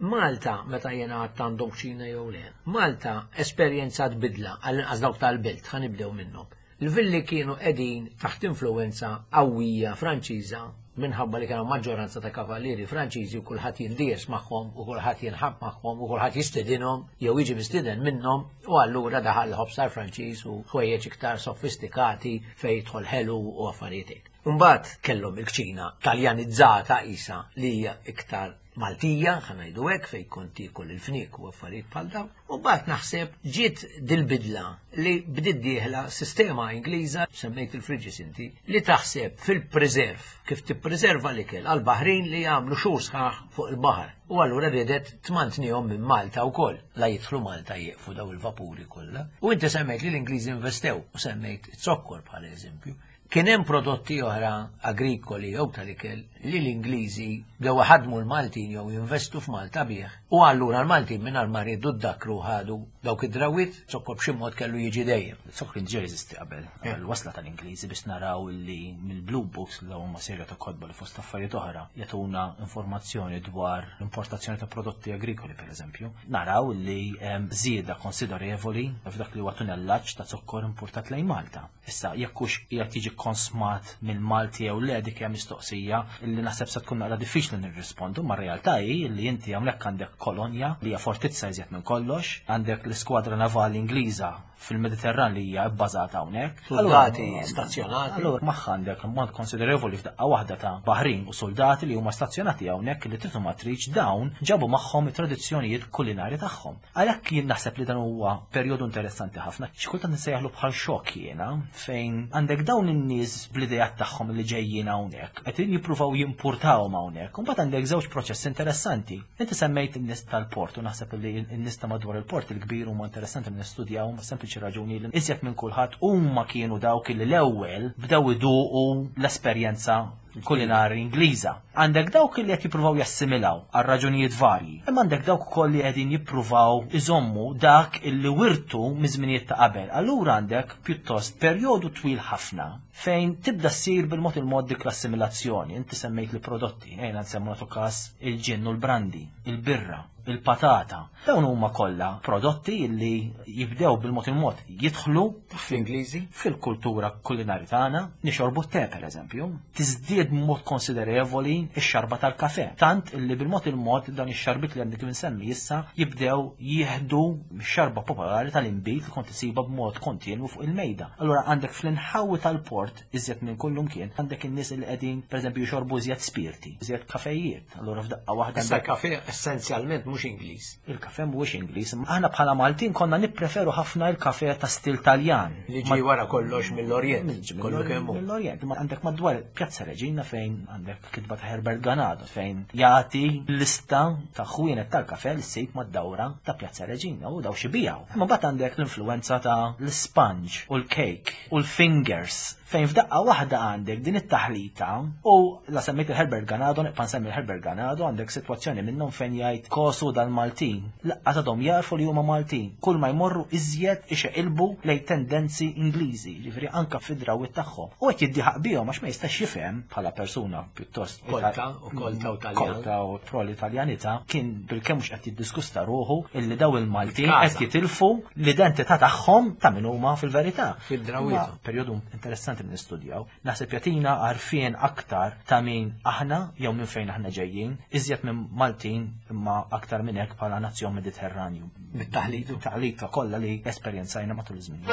Malta, meta jena għadt għandhom kċina jew le, Malta esperjenzat bidla għall-inqas dawk tal-belt, ħa nibdew minnhom. Il-villi kienu qegħdin taħt influenza qawwija Franċiża minħabba li kienu maġġoranza ta' kavallieri Franċiżi u kulħadd jindies magħhom u kulħadd jinħab magħhom u kulħadd jistedinhom jew jiġi mistieden minnhom, u allura daħal l-ħobż Franċiż u ħwejjeġ iktar sofistikati fejn jidħol ħelu u affarijiet hekk. Mbagħad kellhom il-kċina taljanizzata isa li hija iktar Maltija, ħa ngħidu hekk, fejn kont tiekol il-fniek u affarijiet bħal dawn. U mbagħad naħseb ġiet dil-bidla li bdiet dieħla sistema Ingliża, semmejt il-fridges inti, li taħseb fil-preserve, kif tippreserva l-ikel għal-baħrin li jagħmlu xhur sħaħ fuq il-baħar. U allura riedet tmantnihom minn Malta wkoll, la jidħlu Malta jieqfu daw il-vapuri kollha. U inti semmejt li l-Ingliżi investew u semmejt zokkor bħala eżempju. Kien hemm prodotti oħra agrikoli jew tal-ikel li l-Ingliżi bdew ħadmu l-Maltin jew jinvestu f'Malta bih. U allura l-Maltin mingħajr ma riedu ddakru ħadu dawk id-drawwiet, zokkor b'xi mod kellu jiġi dejjem. Zokkor kien ġej jeżisti qabel, qabel wasla tal-Ingliżi biex naraw li mill-Blue Books li huma serja ta' kotba li fost affarijiet oħra jagħtuna informazzjoni dwar l-importazzjoni ta' prodotti agrikoli pereżempju. Naraw li hemm żieda konsiderevoli f'dak li huwa tunellaġġ ta' zokkor importat lejn Malta. Issa jekk hux qiegħed jiġi konsmat minn Malti jew le dik hija mistoqsija li naħseb se tkun naqra diffiċli nirrispondu, ma realtà hi li inti hawnhekk għandek kolonja li hija fortizza iżjed minn kollox, għandek l-iskwadra navali Ingliża fil-Mediterran li hija bbażata hawnhekk. Soldati stazzjonati. Allura magħha għandek ammont konsiderevoli f'daqqa waħda ta' baħrin u soldati li huma stazzjonati hawnhekk li trid ma tridx dawn ġabu magħhom it-tradizzjonijiet kulinari tagħhom. Għalhekk jien naħseb li dan huwa perjodu interessanti ħafna. Xi kultant nsejjaħlu bħal xokk jiena fejn għandek dawn in-nies bl-idejat tagħhom li ġejjin hawnhekk, qed jippruvaw jimpurtawhom hawnhekk. U mbagħad għandek żewġ proċessi interessanti. Inti semmejt in-nies tal-port u naħseb li n-nies ta' madwar il-port il-kbir huma interessanti li nistudjaw sempliċi raġuni li iżjed minn kulħadd huma kienu dawk li l-ewwel bdew iduqu l-esperjenza kulinari Ingliża. Għandek dawk li qed jippruvaw jassimilaw għal raġunijiet varji. Imma għandek dawk ukoll li qegħdin jippruvaw iżommu dak illi wirtu miż-żminijiet ta' qabel. Allura għandek pjuttost perjodu twil ħafna fejn tibda ssir bil-mod il-mod dik l-assimilazzjoni. Inti semmejt li prodotti, ejna nsemmu nagħtu każ il-ġin u l-brandi, il-birra, il-patata. Dawn huma kollha prodotti li jibdew bil-mod il-mod jidħlu fl-Ingliżi fil-kultura kulinari tagħna, nixorbu te pereżempju, tiżdied b'mod konsiderevoli x-xarba tal-kafe. Tant illi bil-mod il-mod dan ix-xarbit li għandek insemmi issa jibdew jieħdu x-xarba popolari tal-inbid li kont isibha b'mod kontinwu fuq il-mejda. Allura għandek fl-inħawi tal-port iżjed minn kullum kien għandek in-nies li qegħdin pereżempju jxorbu iżjed spirti, iżjed kafejiet. Allura f'daqqa waħda Issa kafe essenzjalment mhux Ingliż. Il-kafe mhuwiex Ingliż. Aħna bħala Maltin konna nippreferu ħafna il-kafe ta' stil Taljan. Li ġie wara kollox mill-Orjent. Kollu kemm hu. Mill-Orjent. Ma għandek madwar Pjazza Reġina fejn għandek kitba ta' Herbert Ganado fejn jagħti lista ta' ħwienet tal-kafe li ssib mad-dawra ta' Pjazza Reġina u daw xi bijaw. Imma mbagħad għandek l-influenza ta' l-sponge u l-cake u l-fingers fejn f'daqqa waħda għandek din it-taħlita u la semmejt il-Herbert Ganado, nibqa' nsemmi il-Herbert Ganado, għandek sitwazzjoni minnhom fejn jgħid kosu dal-Maltin. Laqqa tadhom jarfu li huma Maltin. Kull ma jmorru iżjed ixeqilbu lejn tendenzi Ingliżi, ġifieri anka fid-drawwiet tagħhom. U qed jiddieħaq bihom għax ma jistax jifhem bħala persuna pjuttost Kolta u kolta u Taljan. Kolta u pro-Italjanità kien bilkemm mhux qed jiddiskusta ruħu illi daw il-Maltin Kaza. qed jitilfu l-identità tagħhom ta' min huma fil-verità. Fid-drawwiet. Imma Perjodu interessanti li nistudjaw. Naħseb jagħtina għarfien aktar ta' min aħna jew minn fejn aħna ġejjin, iżjed minn Maltin imma aktar minn hekk bħala nazzjon Mediterranju. Bit-taħlit. Taħlita kollha li esperjenzajna matul iż-żmien.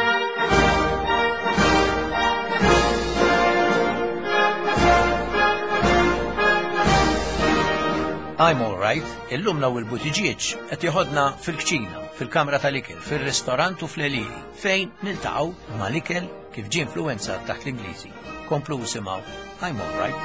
I'm all right, illum Noel Buttigieg qed joħodna fil-kċina, fil-kamra tal-ikel, fil-ristorant u fl-għelieqi, fejn niltaqgħu mal-ikel kif ġie influenzat taħt l-Ingliżi. Komplu simgħu I'm all right.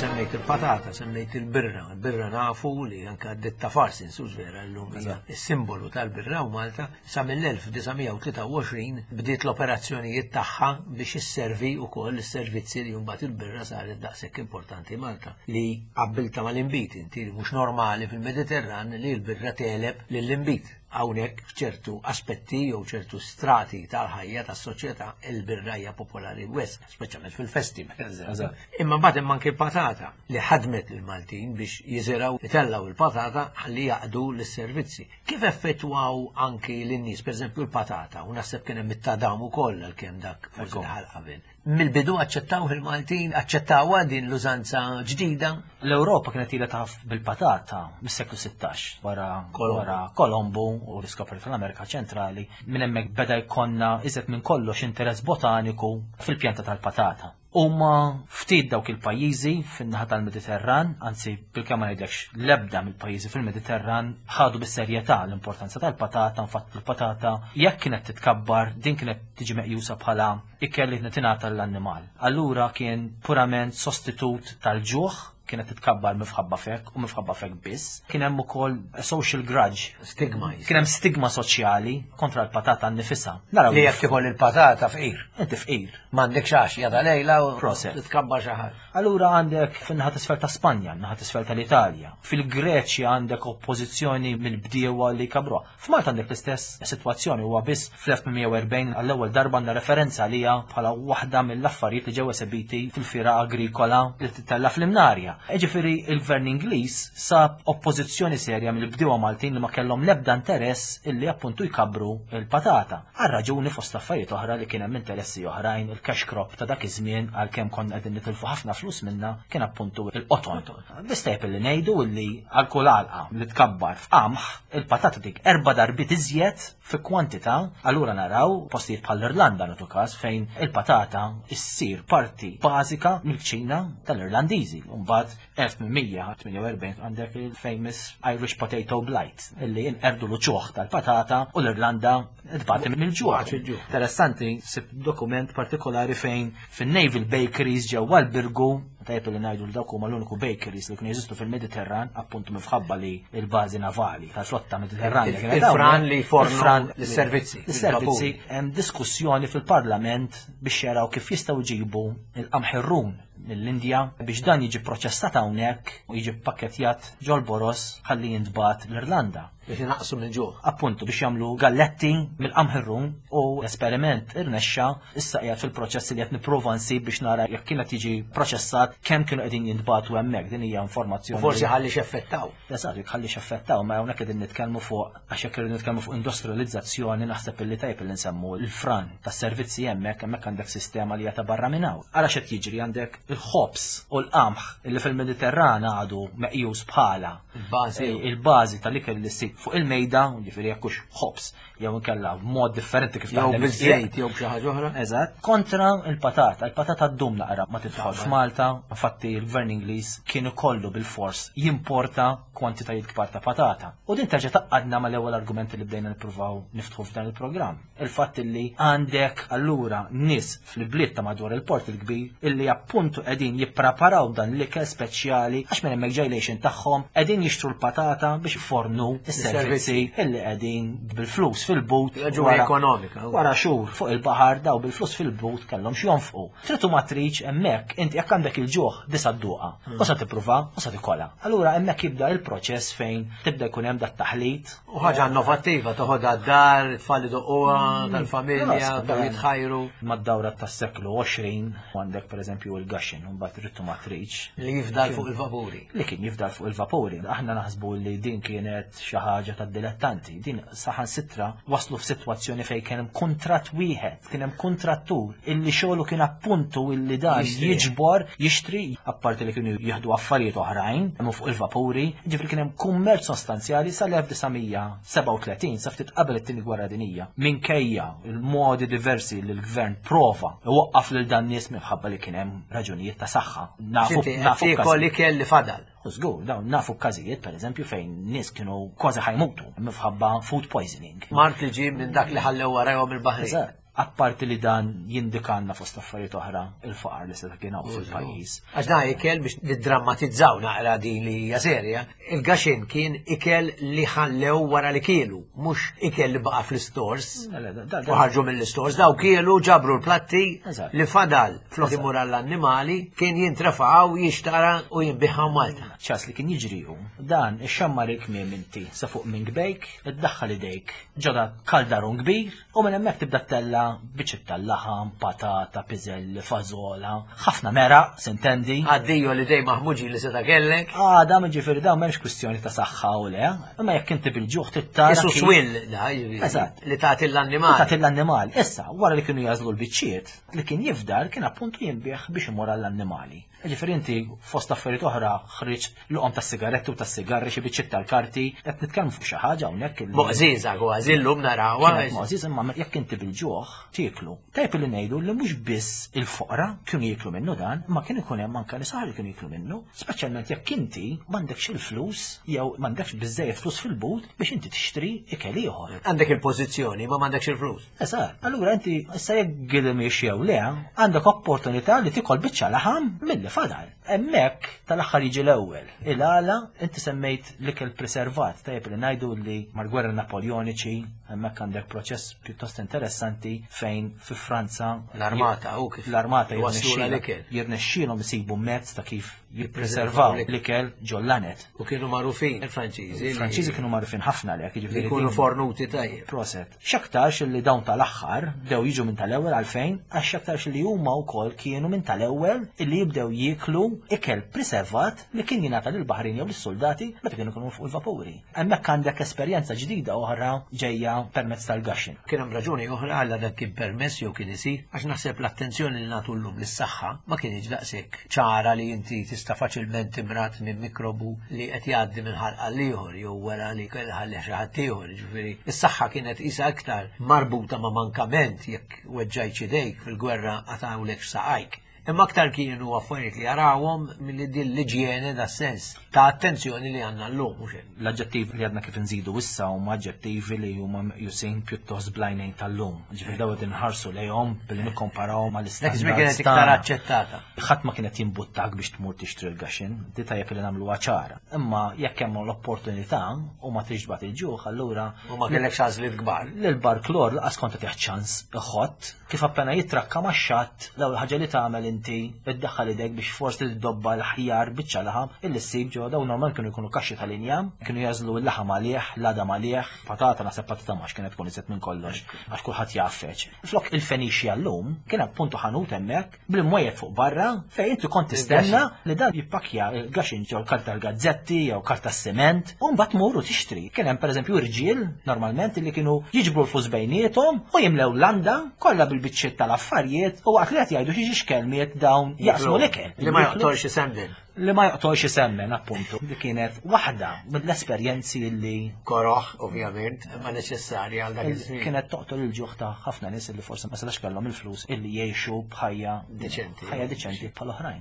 Semmejt il-patata, semmejt il-birra. Il-birra nafu li anka d-ditta Farsons, hux vera l-lum hija il-simbolu tal-birra u Malta sa mill-elf disa' mija u tlieta u għoxrin bdiet l-operazzjonijiet tagħha biex isservi wkoll is-servizzi li mbagħad il-birra saret daqshekk importanti Malta li qabbilta mal-inbid, inti li mhux normali fil-Mediterran li l-birra teleb lill-inbid. Hawnhekk f'ċertu aspetti jew ċertu strati tal-ħajja tas-soċjetà il-birra hija popolari wisq, speċjalment fil-festi, per eżempju. Eżatt. Imma mbagħad hemm anke l-patata li ħadmet lill-Maltin biex jiżiraw itellgħu il-patata ħalli jaqdu lis-servizzi. Kif effettwaw anki lin-nies, pereżempju l-patata, u naħseb kien hemm it-tadam ukoll għalkemm dak forsi Ekku. daħal qabel. Mill-bidu aċċettaw il-Maltin, aċċettawha din l-użanza ġdida. L-Ewropa kienet ilha taf bil-patata mis-seklu sittax wara Kolombo. wara Kolombo u l-iskoperta tal-Amerika Ċentrali. Minn hemmhekk beda jkollna iżjed minn kollox interess botaniku fil-pjanta tal-patata. Huma ftit dawk il-pajjiżi fin-naħa tal-Mediterran, anzi bil-kemm ma ngħidlekx l-ebda mill-pajjiżi fil-Mediterran ħadu bis-serjetà l-importanza tal-patata. Infatti il-patata jekk kienet titkabbar din kienet tiġi meqjusa bħala ikel li kienet tingħata l-annimal. Allura kien purament sostitut tal-ġuħ, kienet titkabbar mifħabba fek u mifħabba fek biss. Kien hemm ukoll social grudge. Stigma. Kien hemm stigma soċjali kontra l-patata nnifisha. Naraw Li jekk tikol il-patata fqir. Inti fqir. M'għandekx għax jada lejla u Proset. titkabbar xi ħaġa. Allura għandek fin-naħa t'isfel ta' Spanja, naħa t'isfel tal-Italja. Fil-Greċja għandek oppożizzjoni mill-bdiewa li kabruha. F'Malta għandek l-istess sitwazzjoni, huwa biss fl-elf tmien mija u erbgħin għall-ewwel darba għandna referenza għalija bħala waħda mill-affarijiet li ġew esebiti fil-fira agrikola li titella fl-Imnarja. Ġifieri il-Gvern Ingliż sab oppożizzjoni serja mill-bdiewa Maltin li ma kellhom l-ebda interess illi appuntu jkabru il-patata. Għal raġuni fost affarijiet oħra li kien hemm interessi oħrajn, il-cash crop ta' dak iż-żmien għalkemm konna qegħdin nitilfu ħafna flus minna kien appuntu il-qoton. Biss tajjeb illi ngħidu illi għal kull għalqa li tkabbar f'qamħ il-patata dik erba' darbiet iżjed fi kwantità. Allura naraw postijiet bħall-Irlanda nagħtu każ fejn il-patata issir parti bażika mill-kċina tal-Irlandiżi. Mbagħad elf tmien mija tmienja u erbgħin għandek il-famous Irish Potato Blight illi inqerdu l-uċuħ tal-patata u l-Irlanda tbati mill-ġuħ. Tbati mill-ġuħ. Interessanti, sib dokument partikolari fejn fin-Naval Bakeries ġewwa l-Birgu, tajjeb li ngħidu li dawk huma l-uniku bakeries li kienu jeżistu fil-Mediterran, appuntu minħabba li l-bażi navali tal-flotta Mediterranja kienet Il-fran hawnhekk. li jfornu Il-fran l-servizzi, L-servizzi, il-vapuri. hemm diskussjoni fil-Parlament biex jaraw kif jistgħu jġibu il-qamħirrun mill-Indja biex dan jiġi proċessat hawnhekk u jiġi pakketjat ġol-boros ħalli jintbagħat l-Irlanda. Biex inaqsu mill-ġuħ. Appuntu biex jagħmlu galletti mill-qamħirrun u l-esperiment irnexxa, issa qiegħed fil-proċess li qed nipprova nsib biex nara jekk kienet jiġi proċessat kemm kienu qegħdin jintbagħtu hemmhekk. Din hija informazzjoni. U forsi ħalli x'effettaw. Eżatt, jekk ħalli x'effettaw, ma hawnhekk qegħdin nitkellmu fuq, għax jekk irridu nitkellmu fuq industrializzazzjoni naħseb illi tajjeb illi nsemmu l-fran tas-servizzi hemmhekk, hemmhekk għandek sistema li hija ta' barra minn hawn. Ara x'qed jiġri, għandek il-ħobż u l-qamħ illi fil-Mediterran għadu meqjus bħala Il-bażi. il-bażi tal-ikel li ssib fuq il-mejda, ġifieri jekk hux ħobż jew inkella b'mod differenti kif Jew taħdem biż-żejt jew b'xi ħaġa oħra. Eżatt, kontra il-patata. Il-patata ddum naqra ma tidħol f'Malta, infatti il-Gvern Ingliż kien ikollu bil-fors jimporta kwantitajiet kbar ta' patata. U din terġa' tgħaqqadna mal-ewwel argumenti li bdejna nippruvaw niftħu f'dan il-programm. Il-fatt li għandek allura nies fil-bliet ta' madwar il-Port il-Kbir illi appuntu qegħdin jippreparaw dan l-ikel speċjali għax minn hemmhekk ġejlejxin tagħhom qegħdin jixtru l-patata biex fornu s-servizzi illi qegħdin bil-flus fil-but. Raġuni wara- ekonomika. Wara xhur fuq il-baħar daw bil-flus fil-but kellhom x'jonfqu. Trid u ma tridx hemmhekk inti jekk għandek il-ġuħ disa dduqa u sa tippruva u sa tikola. Allura hemmhekk jibda il-proċess fejn tibda jkun hemm dat taħlit. U ħaġa innovattiva, toħodha d-dar, tfal idoquha, tal-familja, Ras, daw jitħajru. Mad-dawra tas-seklu għoxrin għandek pereżempju il-gaxin, u mbagħad trid u ma tridx. Li jifdal fuq il-vapuri. Li kien jifdal fuq il-vapuri. Aħna naħsbu li din kienet xi ħaġa tad-dilettanti. Din saħansitra waslu f'sitwazzjoni fejn kien hemm kuntratt wieħed, kien hemm kuntrattur illi xogħlu kien appuntu illi dan Jixtri. jiġbor, jixtri, apparti li kienu jieħdu affarijiet oħrajn hemm fuq il-vapuri, ġifieri kien hemm kummerċ sostanzjali sal-elf disa' mija sebgħa u tletin, sa ftit qabel it-tieni gwerra dinjija. Minkejja il-modi diversi li l-gvern prova iwaqqaf lil dan nies minħabba li kien hemm raġunijiet ta' saħħa. Nafu Xinti, nafu tiekol każijiet. ikel li fadal. U żgur, dawn nafu każijiet pereżempju fejn nies kienu kważi ħajmutu minħabba food poisoning. Mart li ġie minn dak li ħallew warajhom il-baħrin. Eżatt. Apparti li dan jindikanna fost affarijiet oħra il-faqar li seta' kien hawn fil-pajjiż. Għax dan ikel biex niddrammatizzaw naqra din li hija serja, il-gaxin kien ikel li ħallew wara li kielu, mhux ikel li baqa' fl-istors. Le, le, da- da- U ħarġu mill-istors, daw kielu ġabru l-platti Eżatt. li fadal flok imur għall-annimali kien jintrafa'w, jixtara u jinbiħaw Malta. ċas li kien jiġri hu, dan ixxammar il-kmiem inti sa fuq minn gbejk, iddaħħal idejk ġoda kaldarun kbir u minn hemmhekk tibda tella kollha biċċiet tal-laħam, patata, piżelli, fażola, ħafna meraq, sintendi. Addio li dej maħmuġi li seta' kellek. Għada, ġifieri dawn m'hemmx kwistjoni ta' saħħa u le, imma jekk inti bil-ġuħ tittara. Isu kif- swill, da, jiġifieri, Eżatt. li tagħti l-annimal. Tagħti l-annimal. Issa, wara li kienu jażlu l-biċċiet, li kien jifdal kien appuntu jinbih biex imur għall-annimali. Ġifieri inti fost affarijiet oħra ħriġt luqom tas-sigaretti u tas-sigarri xi biċċiet tal-karti, qed nitkellmu fuq xi ħaġa hawnhekk illi- Moqżiża kważi llum narawha. Kienet moqżiż imma jekk inti bil-ġuħ tieklu. Tajb li ngħidu li mhux biss il-foqra kienu jieklu minnu dan, imma kien ikun hemm anke nies li kienu jieklu minnu, speċjalment jekk inti m'għandekx il-flus jew m'għandekx biżejjed flus fil-but biex inti tixtri ikel ieħor. Għandek il-pożizzjoni, ma m'għandekx il-flus. Eżatt, allura inti issa jekk gilmiex jew le, għandek opportunità li tikol biċċa laħam milli fadal. Hemmhekk tal-aħħar jiġi l-ewwel. Il-għala inti semmejt l-ikel preservat, tajjeb li ngħidu li mal-gwerra Napoleoniċi hemmhekk għandek proċess pjuttost interessanti fejn fi Franza L-armata, u kif l-armata waslula l-ikel. jirnexxielhom isibu mezz ta' kif jippreservaw l-ikel ġollanet. U kienu magħrufin il-Franċiżi. li- Il-Franċiżi kienu magħrufin ħafna lek, li jiġifieri jkunu din- fornuti tajjeb. Proset. X'aktarx li dawn tal-aħħar bdew jiġu minn tal-ewwel għalfejn, għax x'aktarx li huma wkoll kienu minn tal-ewwel illi jibdew jieklu ikel preservat li kien jingħata lill-baħrin jew lis-soldati meta kienu jkunu fuq il-vapuri. Hemmhekk għandek esperjenza ġdida oħra ġejja permezz tal-gaxin. Kien hemm raġuni oħra għal dak kien permess jew kien isir, għax naħseb l-attenzjoni li nagħtu llum lis-saħħa ma kienx daqshekk ċara li inti tista' faċilment timrat minn mikrobu li qed jgħaddi minn ħalq għal ieħor jew wara li ħalli xi ħadd ieħor, jiġifieri is-saħħa kienet qisha aktar marbuta ma' mankament jekk weġġajt idejk fil-gwerra qatawlek saqajk. Imma aktar kienu affarijiet li jarawhom milli din l-iġjene da sens ta' attenzjoni li għandna llum mhux hekk. L-aġġettivi li għadna kif nżidu issa huma aġġettivi li huma meqjusin pjuttost blajnejn tal-lum. Ġifieri daw qed inħarsu lejhom billi nikkomparawhom Dak iż-żmien kienet mal-istandards iktar tagħna. aċċettata. Ħadd ma kienet jimbuttak biex tmur tixtri l-gaxin, di tajjeb li nagħmluha ċara. Imma jekk hemm l-opportunità u ma tridx tbati il-ġuħ, allura U ma kellekx għażliet kbar. l-barklor laqas kont tieħ ċans iħott kif appena jitrakka max-xatt l-ewwel ħaġa li tagħmel inti iddaħħal idek biex forsi tiddobba l-ħjar biċċa laħam illi ssib ġewwa dawn normal kienu jkunu kaxxi tal-injam, kienu jażlu l-laħam għalih, l-għadam għalih, patata naħseb patata max kienet tkun iżjed minn kollox għax kulħadd jaffeċ. Flok il-Fenixja llum kien appuntu ħanut hemmhekk bil-mwejjed fuq barra fejn inti kont tistenna li dan jippakja il-gaxin ġew karta l-gazzetti jew karta s-siment u mbagħad tmur u tixtri. Kien hemm pereżempju irġiel normalment li kienu jiġbru l-flus bejniethom u jimlew landa kollha bil-biċċiet tal-affarijiet u waqt li qed jgħidu xi xkelmiet dawn jaqsmu l-ikel. Li ma joqtolx isemmen. Li ma joqtolx isemmen appuntu. Li kienet waħda mill-esperjenzi li Koroħ, ovvjament, imma neċessarja għal dak iż-żmien. kienet toqtol il-ġuħ ta' ħafna nies li forsi ma setax kellhom il-flus illi jgħixu b'ħajja Deċenti. ħajja deċenti bħal oħrajn.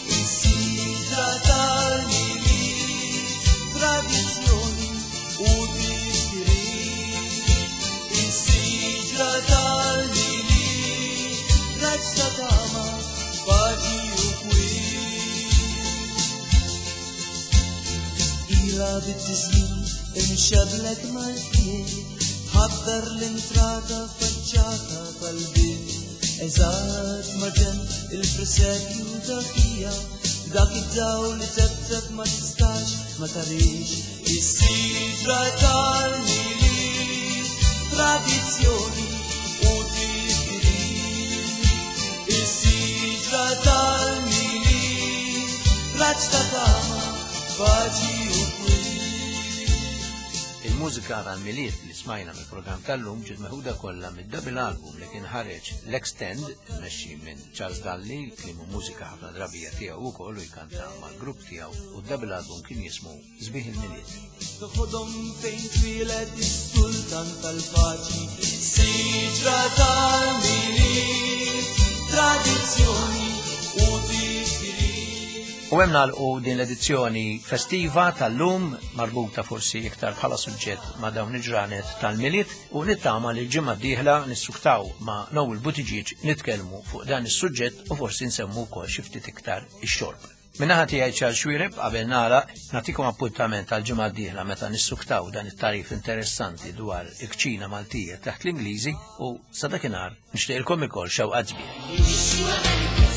Is-sidra tal-Milied, tradizzjoni u tifkiriet. Is-sidra tal-Milied, raġġ ta' tama, paċi u kwiet. Ila bit-tiżjin imxablek mal-fniet, ħaddar l-intrata faċċata tal-bib. Eżatt maġen il-presepju dak-hija, dak id-dawl li tebteb ma tistax ma tarix. Is-sidra tal-Milied, tradizzjoni u tifkiriet. Is-sidra tal-Milied, raġġ ta' tama, paċi u kwiet. Il-mużika tal-Milied li smajna mill-programm tal-lum ġiet meħuda kollha mid-double album li kien ħareġ l-Extend mmexxi minn Charles Dalli, kliem u mużika ħafna drabija tiegħu wkoll u jkanta mal-grupp tiegħu u d-double album kien jismu Sbieħ il-Milied. Toħodhom fejn twieled is-sultan tal-paċi, siġra tal-Milied, tradizzjoni u tifkiriet. U hemm nagħlqu din l-edizzjoni festiva tal-lum marbuta forsi iktar bħala suġġett ma' dawn il-ġranet tal-Milied u nittama li l-ġimgħa d-dieħla nissuktaw ma' Noel Buttigieg nitkellmu fuq dan is-suġġett u forsi nsemmu wkoll xi ftit iktar ix-xorb. Min-naħa tiegħi Charles Xuereb qabel nagħlaq nagħtikom appuntament għal ġimgħa d-dieħla meta nissuktaw dan it-tarif interessanti dwar il-kċina Maltija taħt l-Ingliżi u sa dakinhar nixtieqilkom ukoll xewqat sbieħ. We wish you a Merry